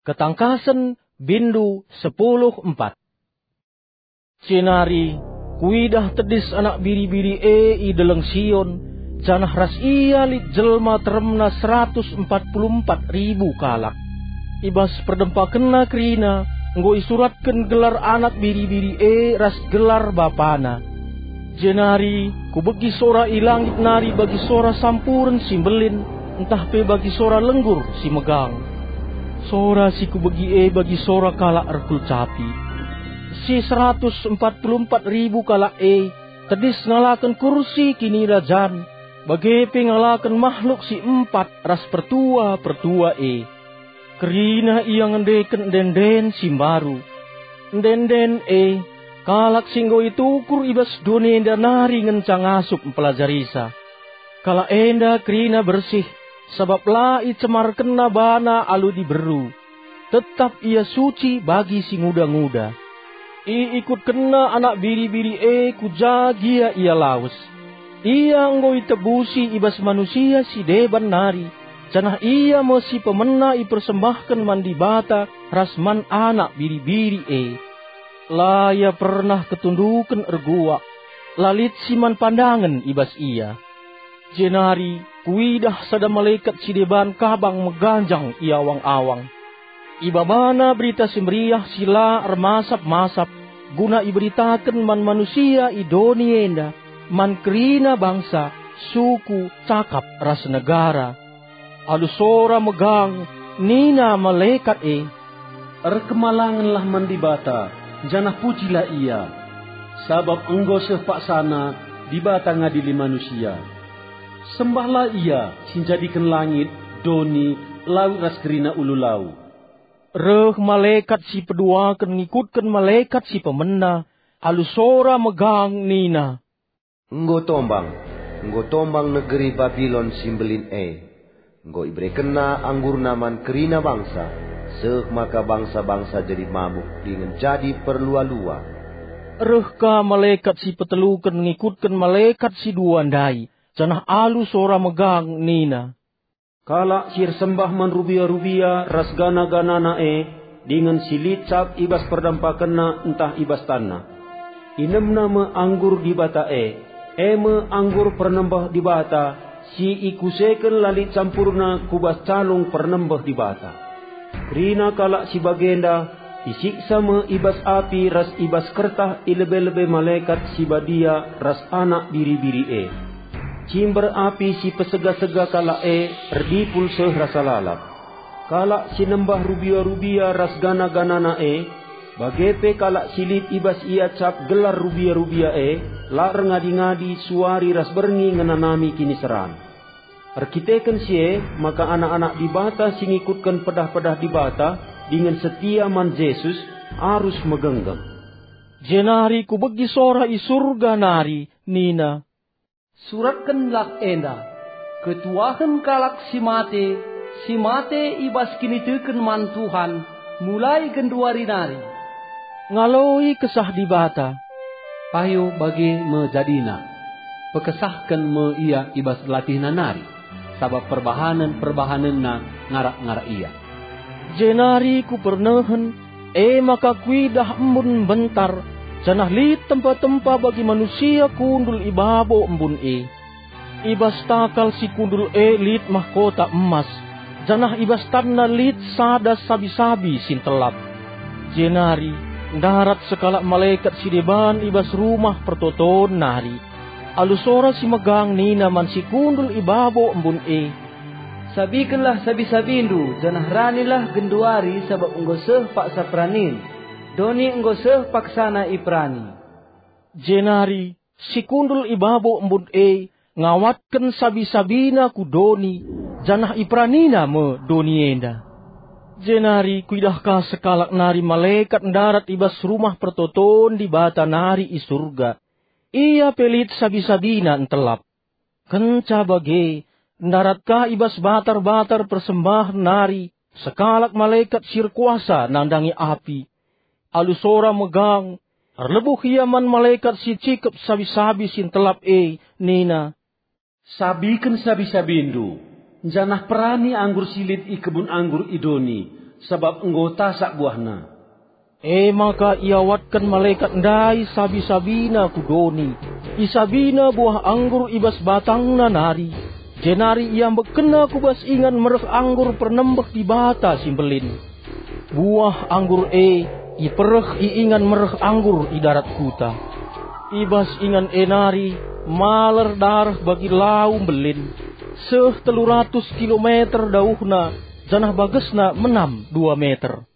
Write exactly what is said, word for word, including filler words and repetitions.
Ketangkasen, bindu sepuluh empat. Jenari kuidah tedis Anak Biri-biri e i Deleng Sion, janah ras ia lit jelma teremna seratus empat puluh empat ribu kalak. I bas perdempakenna kerina enggo isuratken gelar Anak Biri-biri e ras gelar Bapana. Jenari kubegi sora i langit nari bagi sora sampuren si mbelin, ntah pe bagi sora lenggur si megang. Sora si kubegi e bagi sora kalak erkulcapi. Si seratus empat puluh empat ribu kalak e tedis ngalaken kursi kinirajan, bage pe ngalaken mahluk si empat ras pertua-pertua e. Kerina ia ngendeken ende-enden si mbaru. Ende-enden e, kalak si enggo itukur i bas doni enda nari ngenca ngasup mpelajarisa. Kalak enda kerina bersih, sabap la icemarkenna bana alu diberu. Tetap ia suci bagi si nguda-nguda. Iikutkenna Anak Biri-biri e ku ja gia ia lawes. Ia enggo itebusi i bas manusia si deban nari, janah ia me si pemena ipersembahken man Dibata ras man Anak Biri-biri e. La ia pernah ketunduken erguak, la lit si man pandangen i bas ia. Jenari kuidah sada malekat si deban kabang meganjang i awang-awang. Ibabana Berita Si Meriah si la ermasap-masap, guna iberitaken man manusia i doni enda, man kerina bangsa, suku, cakap, ras negara. Alu sora megang, nina malekat e, "Erkemalangenlah man Dibata, janah pujilah Ia, sabap enggo seh paksana Dibata ngadili manusia. Sembahlah Ia si njadiken langit, doni, lawit ras kerina ulu lau." Reh malekat si peduaken ngikutken malekat si pemena, alu sora megang nina, "Enggo tombang, enggo tombang negeri Babilon si mbelin e. Enggo iberekenna anggurna man kerina bangsa, seh maka bangsa-bangsa jadi mabuk dingen jadi perlua-lua." Reh ka malekat si peteluken ngikutken malekat si dua ndai, janah alu sora megang nina, "Kalak si ersembah man rubia-rubia ras gana-ganana e, dingen si lit cap i bas perdempakenna ntah i bas tanna. Inemna me anggur Dibata e, e me anggur pernembeh Dibata, si ikuseken la lit campurna ku bas calung pernembeh Dibata. Kerina kalak si bagenda isiksa me i bas api ras i bas kertah i lebe-lebe malekat si badia ras Anak Biri-biri e. Cimber api si pesega-sega kalak e erdipul seh rasa lalap. Kalak si nembah rubia-rubia ras gana-ganana e, bage pe kalak si lit i bas ia cap gelar rubia-rubia e, la erngadi-ngadi suari ras berngi ngenanami kiniseran. Erkiteken si e, maka anak-anak Dibata si ngikutken pedah-pedah Dibata dingen setia man Jesus arus megenggeng." Jenari kubegi sora i Surga nari nina, "Suratkenlah enda, 'Ketuahen kalak si mate, si mate i bas kiniteken man Tuhan, mulai genduari nari.'" Ngaloi Kesah Dibata, "Payo bage me jadina. Pekesahken me ia i bas latihna nari, sabap perbahanen-perbahanenna ngarak-ngarak ia." Jenari kupernehen, e maka kuidah embun mbentar, janah lit tempa-tempa bagi manusia kundul i babo embun e. I bas takal si kundul e lit mahkota emas, janah i bas tanna lit sada sabi-sabi si ntelap. Jenari ndarat sekalak malekat si deban i bas rumah pertoton nari. Alu sora si megang nina man si kundul i babo embun e, "Sabikenlah sabi-sabindu, janah ranilah genduari, sabap enggo seh paksa peranin. Doni enggo seh paksana iperani." Jenari si kundul i babo embun e ngawatken sabi-sabina ku doni, janah iperanina me doni enda. Jenari kuidah ka sekalak nari malekat ndarat i bas rumah pertoton Dibata nari i Surga. Ia pe lit sabi-sabina ntelap. Kenca bage, ndarat ka i bas batar-batar persembahen nari sekalak malekat si erkuasa nandangi api. Alu sora megang, erlebuh ia man malekat si cikep sabi-sabi si ntelap e, nina, "Sabiken sabi-sabindu, janah perani anggur si lit i kebun anggur i doni, sabap enggo tasak buahna." E maka iawatken malekat ndai sabi-sabina ku doni. Isabina buah anggur i bas batangna nari, jenari iambekkenna ku bas ingan mereh anggur pernembeh Dibata si Mbelin. Buah anggur e ipereh i ingan mereh anggur i darat kuta. I bas ingan e nari maler dareh bagi lau mbelin, seh telu ratus kilometer dauhna, janah bagesna menam dua meter.